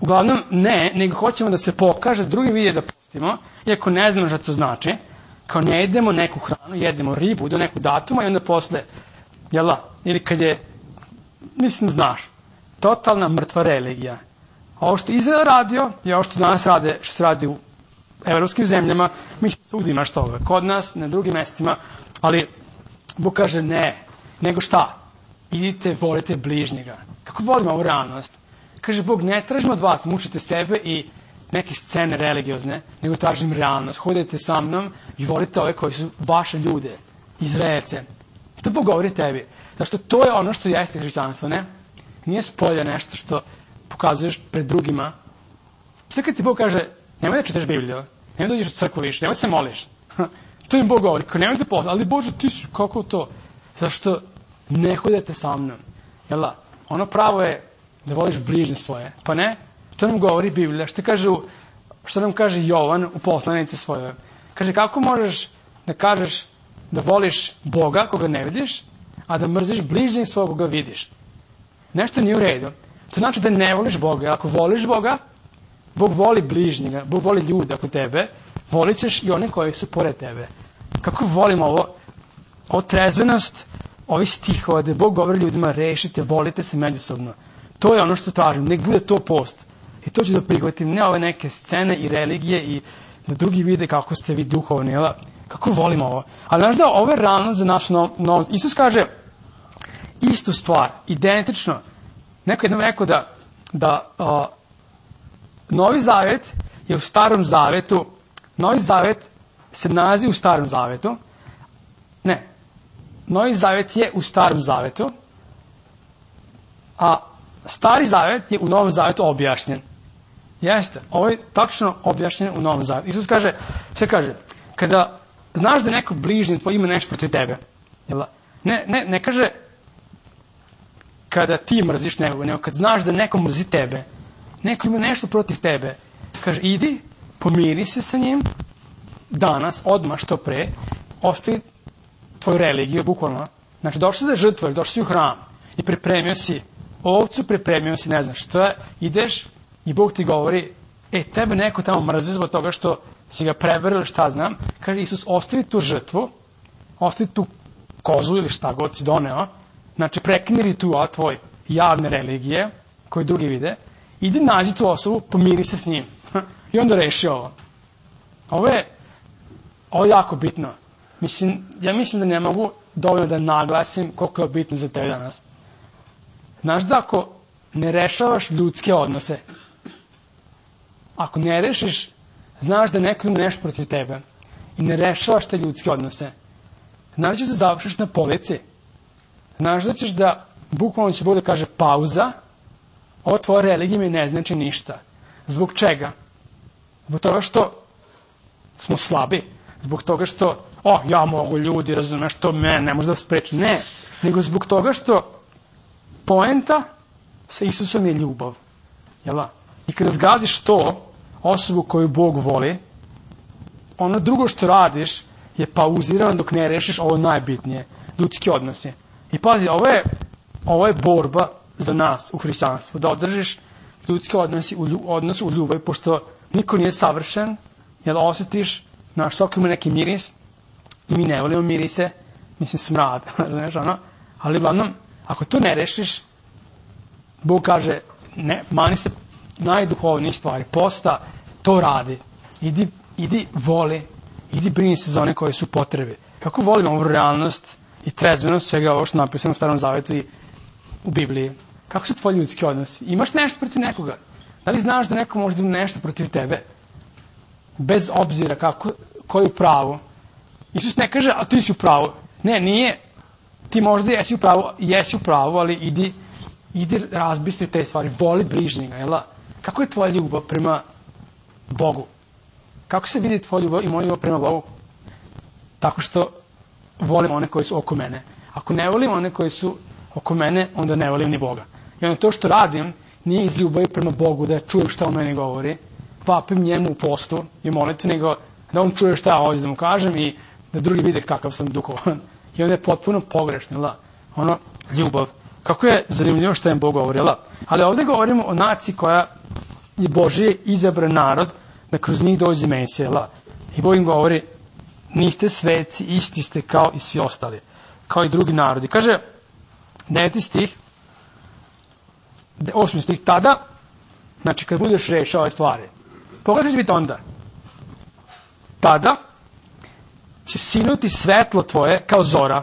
uglavnom ne, nego hoćemo da se pokaže, drugi vidje da pustimo, iako ne znamo šta to znači, kao ne jedemo neku hranu, jedemo ribu do nekog datuma i onda posle, jel da, ili kad je, mislim, znaš, totalna mrtva religija. Ovo što Izrael radio i ovo što danas rade, što se radi u evropskim zemljama, mislim, svugdje imaš toga. Kod nas, na drugim mestima, ali Bog kaže ne, nego šta? Idite, volite bližnjega. Kako volimo ovu realnost? Kaže Bog, ne tražim od vas, mučite sebe i neke scene religiozne, nego tražim realnost. Hodite sa mnom i volite ove koji su vaše ljude, Izraelce. To Bog govori tebi. Zašto to je ono što jeste hrišćanstvo, ne? Nije spolja nešto što pokazuješ pred drugima. Sve kad ti Bog kaže, nemoj da čitaš Bibliju, nemoj da uđeš u crkvu više, nemoj da se moliš. To im Bog govori, nemoj da posle, ali Bože, ti si, kako to? Zašto ne hodete sa mnom? Jel da? Ono pravo je da voliš bližnje svoje, pa ne? To nam govori Biblija. Što kaže u Što nam kaže Jovan u poslanici svojoj? Kaže, kako možeš da kažeš da voliš Boga koga ne vidiš, a da mrziš bližnjeg svog koga vidiš? Nešto nije u redu. To znači da ne voliš Boga. Ako voliš Boga, Bog voli bližnjega, Bog voli ljude oko tebe, volit ćeš i one koji su pored tebe. Kako volim ovo, ovo trezvenost, ovih stihova, da Bog govori ljudima, rešite, volite se međusobno. To je ono što tražim, nek bude to post. I to ću da prihvatim, ne ove neke scene i religije i da drugi vide kako ste vi duhovni, jel? Kako volim ovo. Ali znaš da ovo je realno za naš novo. Isus kaže istu stvar, identično. Neko je nam rekao da, da uh, Novi Zavet je u Starom Zavetu, Novi Zavet se nalazi u Starom Zavetu, ne, Novi Zavet je u Starom Zavetu, a Stari Zavet je u Novom Zavetu objašnjen. Jeste, ovo je tačno objašnjen u Novom Zavetu. Isus kaže, sve kaže, kada znaš da neko bližnji tvoj ima nešto protiv tebe, jel? Ne, ne, ne kaže kada ti mrziš nekoga, nego kad znaš da neko mrzi tebe, neko ima nešto protiv tebe, kaže, idi, pomiri se sa njim, danas, odmah, što pre, ostavi tvoju religiju, bukvalno. Znači, došli si da žrtvuješ, došli si u hram i pripremio si ovcu, pripremio si, ne znam šta, ideš i Bog ti govori, e, tebe neko tamo mrzi zbog toga što si ga prevarili, šta znam, kaže Isus, ostavi tu žrtvu, ostavi tu kozu ili šta god si doneo, znači, prekini ritual tvoj javne religije, koji drugi vide, idi nađi tu osobu, pomiri se s njim. I onda reši ovo. Ovo je, ovo je jako bitno. Mislim, ja mislim da ne mogu dovoljno da naglasim koliko je bitno za tebe danas. Znaš da ako ne rešavaš ljudske odnose, ako ne rešiš, znaš da neko ima nešto protiv tebe i ne rešavaš te ljudske odnose, znaš da ćeš da završiš na polici, znaš da ćeš da, bukvalno će Bog da kaže pauza, ovo tvoja religija mi ne znači ništa. Zbog čega? Zbog toga što smo slabi. Zbog toga što, o, ja mogu, ljudi, razumeš, to mene ne može da spreči. Ne, nego zbog toga što poenta sa Isusom je ljubav. Jel? I kada zgaziš to, osobu koju Bog voli, ono drugo što radiš je pauzirano dok ne rešiš ovo najbitnije, ljudski odnosi. I pazi, ovo je, ovo je borba za nas u hrišćanstvu, da održiš ljudski odnosi u, lju, odnos u ljubavi, pošto niko nije savršen, jer osjetiš, naš sok ima neki miris, i mi ne volimo mirise, mislim smrad, znaš, ono, ali uglavnom, ako to ne rešiš, Bog kaže, ne, mani se najduhovnijih stvari, posta, to radi, idi, idi voli, idi brini se za one koje su potrebe. Kako volim ovu realnost i trezvenost svega ovo što napisano u Starom Zavetu i u Bibliji. Kako su tvoji ljudski odnosi? Imaš nešto protiv nekoga? Da li znaš da neko može da ima nešto protiv tebe? Bez obzira kako, koji u pravu. Isus ne kaže, a ti si u pravu. Ne, nije. Ti možda jesi u pravu, jesi u pravu, ali idi, idi razbistri te stvari. Voli bližnjega, jel? Kako je tvoja ljubav prema Bogu? Kako se vidi tvoja ljubav i moja ljubav prema Bogu? Tako što volim one koji su oko mene. Ako ne volim one koji su oko mene, onda ne volim ni Boga. I onda to što radim nije iz ljubavi prema Bogu, da čujem šta on meni govori, vapim njemu u postu i molitvi, nego da on čuje šta ja ovdje da mu kažem i da drugi vide kakav sam duhovan. I onda je potpuno pogrešno, jel? Ono, ljubav. Kako je zanimljivo što im Bog govori, jel? Ali ovdje govorimo o naciji koja je Božji izabran narod, da kroz njih dođe Mesija, jel? I Bog im govori, niste sveci, isti ste kao i svi ostali, kao i drugi narodi. Kaže, deveti stih, osmi stih, tada, znači kad budeš rešao ove stvari, pogledaj će biti onda. Tada će sinuti svetlo tvoje kao zora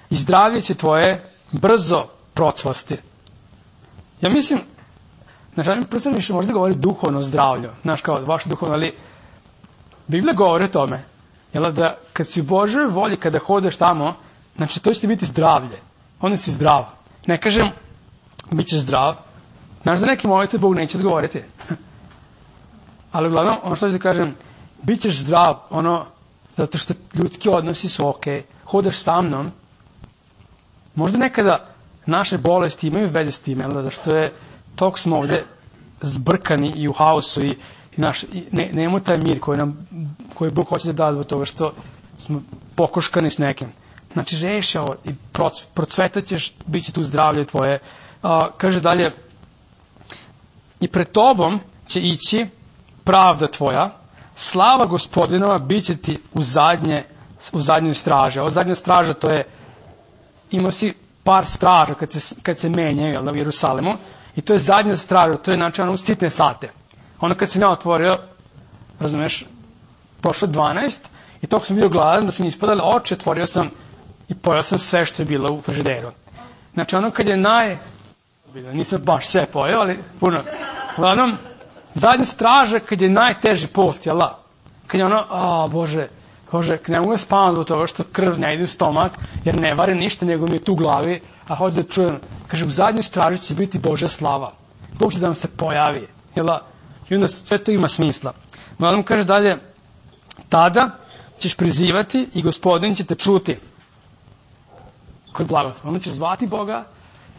i zdravlje će tvoje brzo procvasti. Ja mislim, znači, mi prosto više možda govori duhovno zdravlju, znaš, kao vaše duhovno, ali Biblija govori o tome, jel, da kad si u Božoj volji, kada hodeš tamo, znači to će ti biti zdravlje, onda si zdrav. Ne kažem, bit ćeš zdrav, znaš da neki molite Bog neće odgovoriti. Ali uglavnom, ono što ću ti kažem, bit ćeš zdrav, ono, zato što ljudski odnosi su ok, hodeš sa mnom, možda nekada naše bolesti imaju veze s tim, jel, da što je, tog smo ovde zbrkani i u haosu i naš, ne, nemamo taj mir koji nam, koji Bog hoće da da zbog toga što smo pokoškani s nekim. Znači, reši ovo i procvetat ćeš, bit će tu zdravlje tvoje. A, kaže dalje, i pred tobom će ići pravda tvoja, slava Gospodinova bit će ti u zadnje, u zadnjoj straže. Ovo zadnja straža, to je, imao si par straža kad se, kad se menjaju, jel, u Jerusalemu, i to je zadnja straža, to je znači ono u sitne sate. Onda kad sam ja otvorio, razumeš, prošlo dvanaest, i toko sam bio gladan da sam ispadali oči, otvorio sam i pojao sam sve što je bilo u frižideru. Znači ono kad je naj... Nisam baš sve pojao, ali puno. Uglavnom, zadnja straža kad je najteži post, jel da? Kad je ono, a Bože, Bože, ne mogu spavati do toga što krv ne ide u stomak, jer ne vari ništa, nego mi je tu u glavi, a hoću da čujem. Kaže, u zadnjoj straži će biti Božja slava. Bog će da vam se pojavi, jel da? I onda sve to ima smisla. Uglavnom, kaže dalje, tada ćeš prizivati i Gospodin će te čuti. Koji blagoslov. Onda ćeš zvati Boga,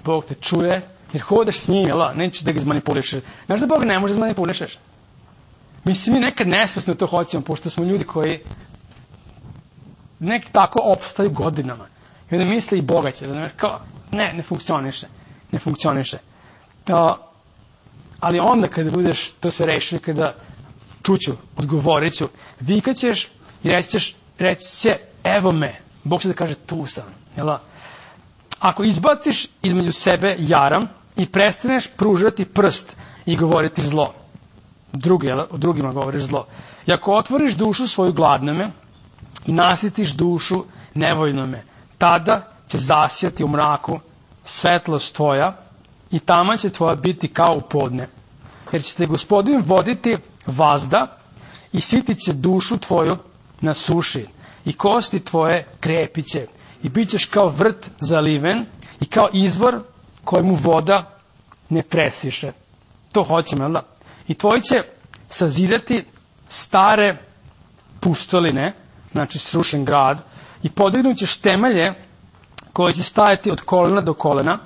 Bog te čuje, jer hodaš s njim, jel da? Nećeš da ga izmanipulišeš. Znaš da Boga ne može da izmanipulišeš? Mislim, mi nekad nesvesno to hoćemo, pošto smo ljudi koji neki tako opstaju godinama. I onda misle i Boga će, da kao, ne, ne funkcioniše. Ne funkcioniše. Uh, ali onda kada budeš to sve rešio, kada čuću, odgovorit ću, vikat ćeš i reći ćeš, reći će, evo me. Bog će da kaže, tu sam. Jel da? Ako izbaciš između sebe jaram i prestaneš pružati prst i govoriti zlo, drugi, jel, o drugima govoriš zlo, i ako otvoriš dušu svoju gladnome i nasitiš dušu nevoljnome, tada će zasijati u mraku svetlost tvoja i tama će tvoja biti kao u podne. Jer će te Gospodin voditi vazda i sitit će dušu tvoju na suši i kosti tvoje krepit će i bit ćeš kao vrt zaliven i kao izvor kojemu voda ne presiše. To hoćemo, jel da? I tvoji će sazidati stare puštoline, znači srušen grad, i podignut ćeš temelje koji će stajati od kolena do kolena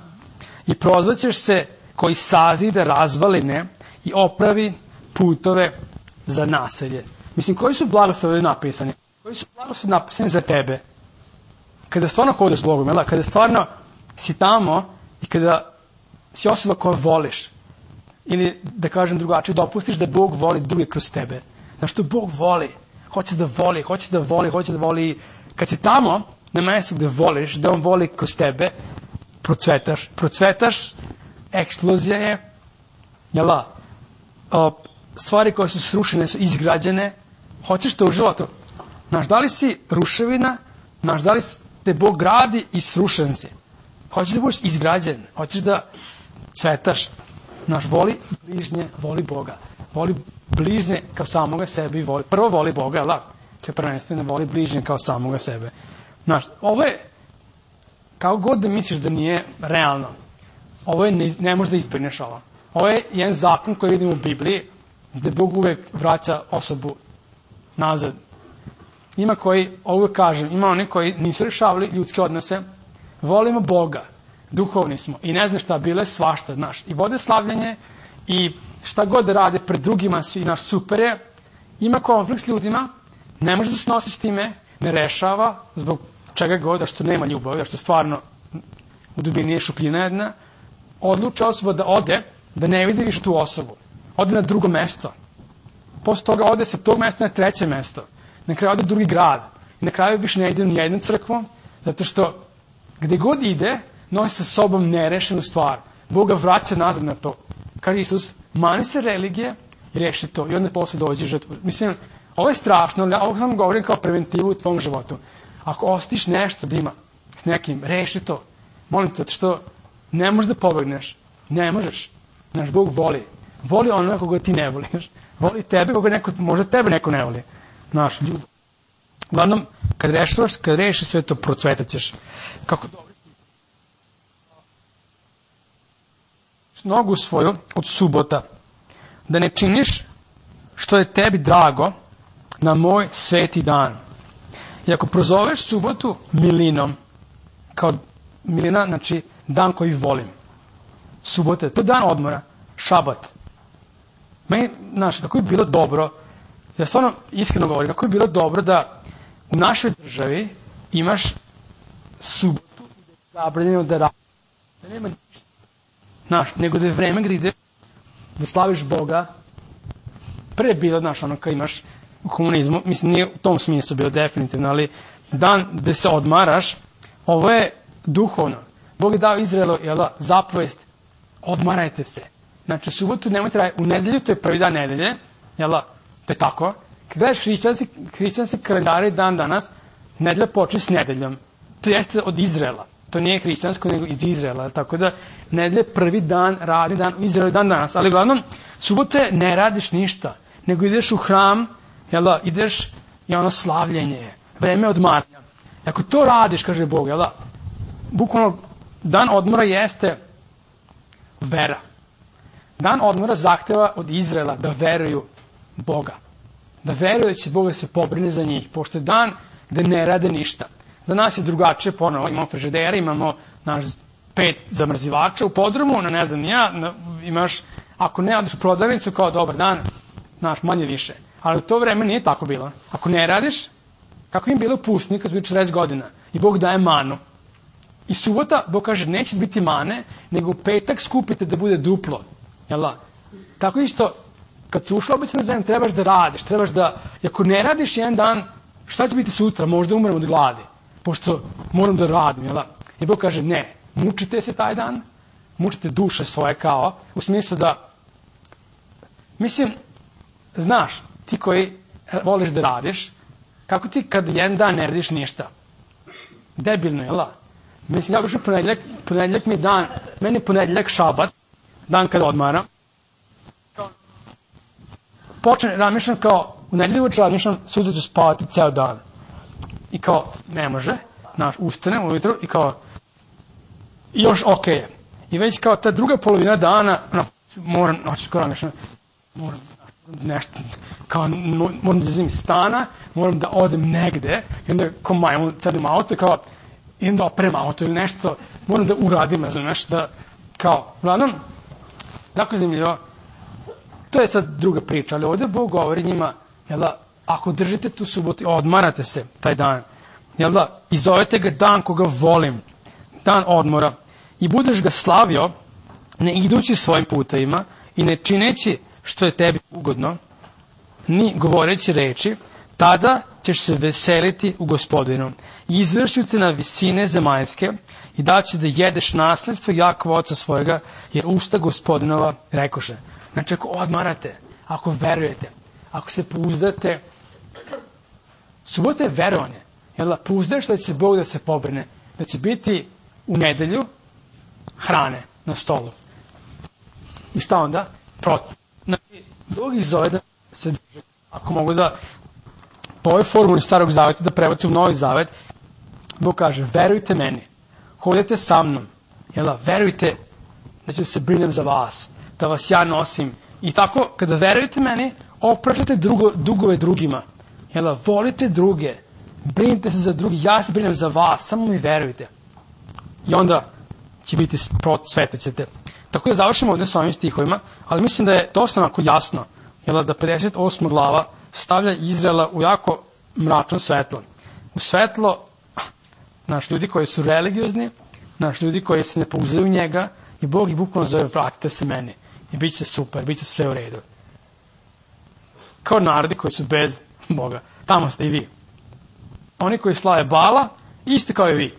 i prozvaćeš se koji sazida razvaline i opravi putove za naselje. Mislim, koji su blagoslovi napisani? Koji su blagoslovi napisani za tebe? Kada stvarno hodaš s Bogom, jel da? Kada stvarno si tamo i kada si osoba koja voliš, ili da kažem drugačije, dopustiš da Bog voli druge kroz tebe. Znaš što Bog voli? Hoće da voli, hoće da voli, hoće da voli. Kad si tamo, na mjestu gde voliš, da on voli kroz tebe, procvetaš. Procvetaš, eksplozija je, jel da? Stvari koje su srušene su izgrađene. Hoćeš to u životu? Znaš, da li si ruševina? Znaš, da li te Bog gradi i srušen si? Hoćeš da budeš izgrađen? Hoćeš da cvetaš? Znaš, voli bližnje, voli Boga. Voli bližnje kao samoga sebe i voli. Prvo voli Boga, jel da? To je prvenstveno, voli bližnje kao samoga sebe. Znaš, ovo je, kao god da misliš da nije realno, ovo je, ne, ne možeš da izbrineš ovo. Ovo je jedan zakon koji vidimo u Bibliji, gde Bog uvek vraća osobu nazad. Ima koji, ovo kažem, ima oni koji nisu rešavali ljudske odnose, volimo Boga, duhovni smo i ne znam šta, bilo je svašta, znaš, i vode slavljanje i šta god da rade pred drugima su i naš super je, ima konflikt s ljudima, ne može da se nosi s time, ne rešava, zbog čega god, da što nema ljubavi, da što stvarno u dubini je šupljina jedna, odluča osoba da ode, da ne vidi više tu osobu, ode na drugo mesto, posle toga ode sa tog mesta na treće mesto, na kraju ode u drugi grad, i na kraju više ne ide u jednu crkvu, zato što gde god ide, nosi sa sobom nerešenu stvar. Bog ga vraća nazad na to. Kaže Isus, mani se religije i reši to. I onda posle dođe žrtvu. Mislim, ovo je strašno, ali ovo sam govorim kao preventivu u tvom životu. Ako ostiš nešto da ima s nekim, reši to. Molim te, što ne možeš da pobegneš. Ne možeš. Znaš, Bog voli. Voli ono koga ti ne voliš. Voli tebe koga neko, možda tebe neko ne voli. Znaš, ljubav. Uglavnom, kad rešiš, kad rešiš sve to, procvetat ćeš. Kako dobro. Nogu svoju od subota, da ne činiš što je tebi drago na moj sveti dan. I ako prozoveš subotu milinom, kao milina, znači dan koji volim. Subota, to je dan odmora, šabat. Meni, znaš, kako je bilo dobro, ja stvarno iskreno govorim, kako je bilo dobro da u našoj državi imaš subotu zabranjeno da radiš. Da nema ništa. Znaš, nego da je vreme gdje ideš da slaviš Boga. Pre je bilo, znaš, ono kad imaš u komunizmu, mislim, nije u tom smislu bilo definitivno, ali dan gde se odmaraš, ovo je duhovno. Bog je dao Izraelu, jela, zapovest, odmarajte se. Znači, subotu nemojte raditi, u nedelju, to je prvi dan nedelje, jela, to je tako. Kad gledaš hrišćanski, hrišćanski kalendari dan danas, nedelja počne s nedeljom. To jeste od Izraela. To nije hrišćansko, nego iz Izraela. Tako da, nedelje prvi dan, radni dan, u Izraelu dan danas. Ali uglavnom, subote ne radiš ništa, nego ideš u hram, jela, ideš i ono slavljenje, vreme odmaranja. Ako to radiš, kaže Bog, jela, bukvalno, dan odmora jeste vera. Dan odmora zahteva od Izraela da veruju Boga. Da veruju da će Bog da se pobrine za njih, pošto je dan gde ne rade ništa. Za nas je drugačije, ponovo imamo frižidere, imamo naš pet zamrzivača u podrumu, na ne znam ja, na, imaš, ako ne odeš u prodavnicu kao dobar dan, znaš, manje više. Ali u to vreme nije tako bilo. Ako ne radiš, kako im bilo u pustini kad su bili četrdeset godina i Bog daje manu. I subota, Bog kaže, neće biti mane, nego u petak skupite da bude duplo. Jel' tako isto, kad su ušli obećanu zemlju, trebaš da radiš, trebaš da, i ako ne radiš jedan dan, šta će biti sutra? Možda umrem od gladi, pošto moram da radim, jel' I Bog kaže, ne, mučite se taj dan, mučite duše svoje kao, u smislu da, mislim, znaš, ti koji voliš da radiš, kako ti kad jedan dan ne radiš ništa? Debilno, jel' Mislim, ja kažem ponedjeljak, ponedjeljak mi je dan, meni je ponedjeljak šabat, dan kada odmaram. Počne, razmišljam kao, u nedelju uveče razmišljam, sutra ću spavati ceo dan. I kao, ne može, znaš, ustanem ujutru i kao, i još okej je. I već kao ta druga polovina dana, no, moram, noću kao razmišljam, moram nešto, kao, moram da izim stana, moram da odem negde, i onda kao majmu, sedem auto i kao, idem da operem auto ili nešto, moram da uradim, ne znam, nešto da, kao, uglavnom, tako je zanimljivo, to je sad druga priča, ali ovdje Bog govori njima, jel da, ako držite tu subotu, odmarate se taj dan, jel da, i zovete ga dan koga volim, dan odmora, i budeš ga slavio, ne idući svojim putevima i ne čineći što je tebi ugodno, ni govoreći reči, tada ćeš se veseliti u Gospodinu i izvršću te na visine zemaljske i daću da jedeš nasledstvo Jakova oca svojega, jer usta Gospodinova rekoše. Znači, ako odmarate, ako verujete, ako se pouzdate, subota je verovanje. Jel, pouzdaješ da će Bog da se pobrine, da će biti u nedelju hrane na stolu. I šta onda? Protiv. Znači, Bog ih zove da se drže. Ako mogu da po ovoj formuli starog zaveta da prebacim u novi zavet, Bog kaže, verujte meni, hodite sa mnom, jel, verujte da ću se brinem za vas, da vas ja nosim. I tako, kada verujete meni, opraštate drugo, dugove drugima. Jel, volite druge, brinite se za drugi, ja se brinem za vas, samo mi verujte. I onda će biti svetit ćete. Tako da završimo ovdje s ovim stihovima, ali mislim da je dosta onako jasno, jel, da pedeset osma glava stavlja Izraela u jako mračno svetlo. U svetlo, naš ljudi koji su religiozni, naš ljudi koji se ne pouzdaju u njega, i Bog ih bukvalno zove, vratite se meni. I bit će super, bit će sve u redu. Kao narodi koji su bez Boga. Tamo ste i vi. Oni koji slave Bala, isti kao i vi.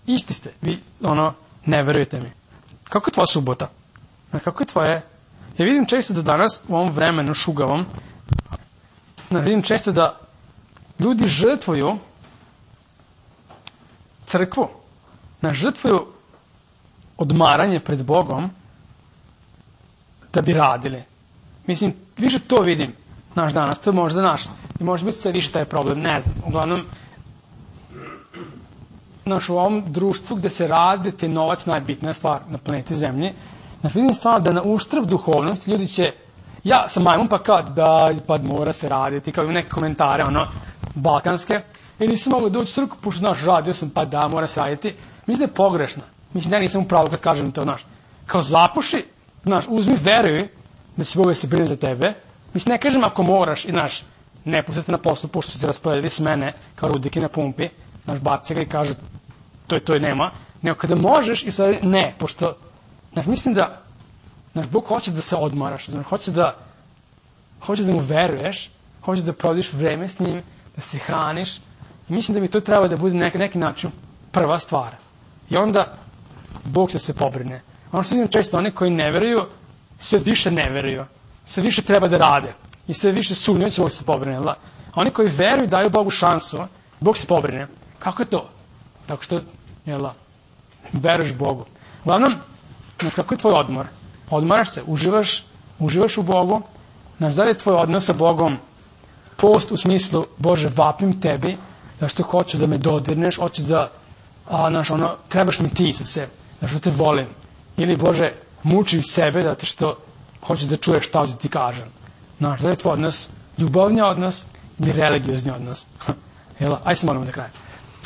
Isti ste. Vi, ono, ne verujete mi. Kako je tvoja subota? Kako je tvoje? Ja vidim često da danas, u ovom vremenu šugavom, ja vidim često da ljudi žrtvuju crkvu. Na žrtvuju odmaranje pred Bogom da bi radili. Mislim, više to vidim naš danas, to je možda naš. I može biti sve više taj problem, ne znam. Uglavnom, naš u ovom društvu gde se radi, te novac najbitnija stvar na planeti Zemlji, znaš, vidim stvarno da na uštrb duhovnosti ljudi će, ja sam majmun pa kao da, pa mora se raditi, kao i neke komentare, ono, balkanske, i nisam mogu doći u crkvu, pošto, znaš, radio sam, pa da, mora se raditi. Mislim da je pogrešno. Mislim da ja nisam u pravu kad kažem to, znaš, kao zapuši, znaš, uzmi, veruj da si Bog da se brine za tebe. Mislim, ne kažem ako moraš i, znaš, ne pustite na poslu, pošto su se rasporedili s mene kao rudike na pumpi, znaš, baci ga i kaže to je to i nema, nego kada možeš i stvari ne, pošto, znaš, mislim da, znaš, Bog hoće da se odmaraš, znaš, hoće da, hoće da mu veruješ, hoće da provodiš vreme s njim, da se hraniš, i mislim da mi to treba da bude na neki, neki način prva stvar. I onda Bog će se pobrine. Ono što vidim često, oni koji ne veruju, sve više ne veruju, sve više treba da rade i sve više sumnjaju će Bog se pobrine. A oni koji veruju daju Bogu šansu, Bog se pobrine. Kako je to? Tako što, jel, veruješ Bogu. Uglavnom, znaš, kako je tvoj odmor? Odmaraš se, uživaš, uživaš u Bogu, znaš, da li je tvoj odnos sa Bogom post u smislu, Bože, vapim tebi, zašto hoću da me dodirneš, hoću da, a, znaš, ono, trebaš mi ti, Isuse, zašto te volim. Ili, Bože, mučim sebe zato što hoću da čuješ šta hoću ti kažem. Znaš, da je tvoj odnos ljubavni odnos ili religiozni odnos. Jel, aj se moramo da krajem.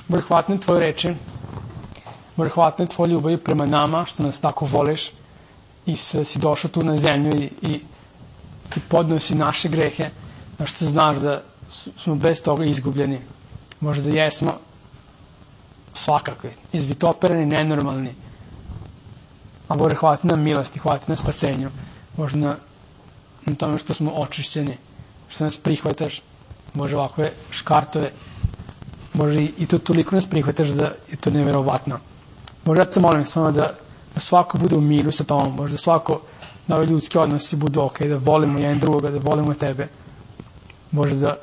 Bože, hvala na tvoje reči, Bože, hvala na tvoje ljubavi prema nama, što nas tako voliš i se si došao tu na zemlju i, i, i podneo si naše grehe, znaš, što znaš da smo bez toga izgubljeni. Možda jesmo svakakvi, izvitopereni, nenormalni. A Bože, hvala ti na milosti, hvala ti na spasenju. Bože, na, na tome što smo očišćeni, što nas prihvataš. Bože, ovakve škartove. Bože, i, i to toliko nas prihvataš da je to nevjerovatno. Bože, ja te molim samo da, da svako bude u miru sa tomom. Bože, da svako, da ovi ljudski odnosi budu ok, da volimo jedan drugoga, da volimo tebe. Bože, da,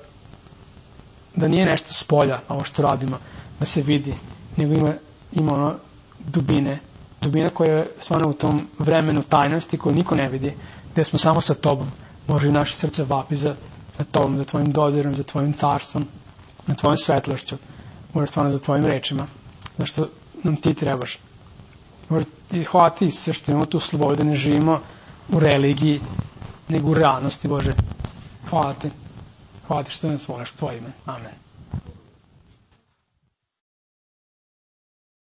da nije nešto s polja, ovo što radimo, da se vidi, nego ima, ima ono dubine, dubina koja je stvarno u tom vremenu tajnosti koju niko ne vidi, gde smo samo sa tobom. Bože, naše srce vapi za, za tobom, za tvojim dodirom, za tvojim carstvom, na tvojom svetlošću, Bože, stvarno za tvojim rečima, zašto nam ti trebaš. Bože, i hvala ti sve što imamo tu slobodu, da ne živimo u religiji, nego u realnosti, Bože. Hvala ti. Hvala ti što nas voliš u tvoje ime. Amen.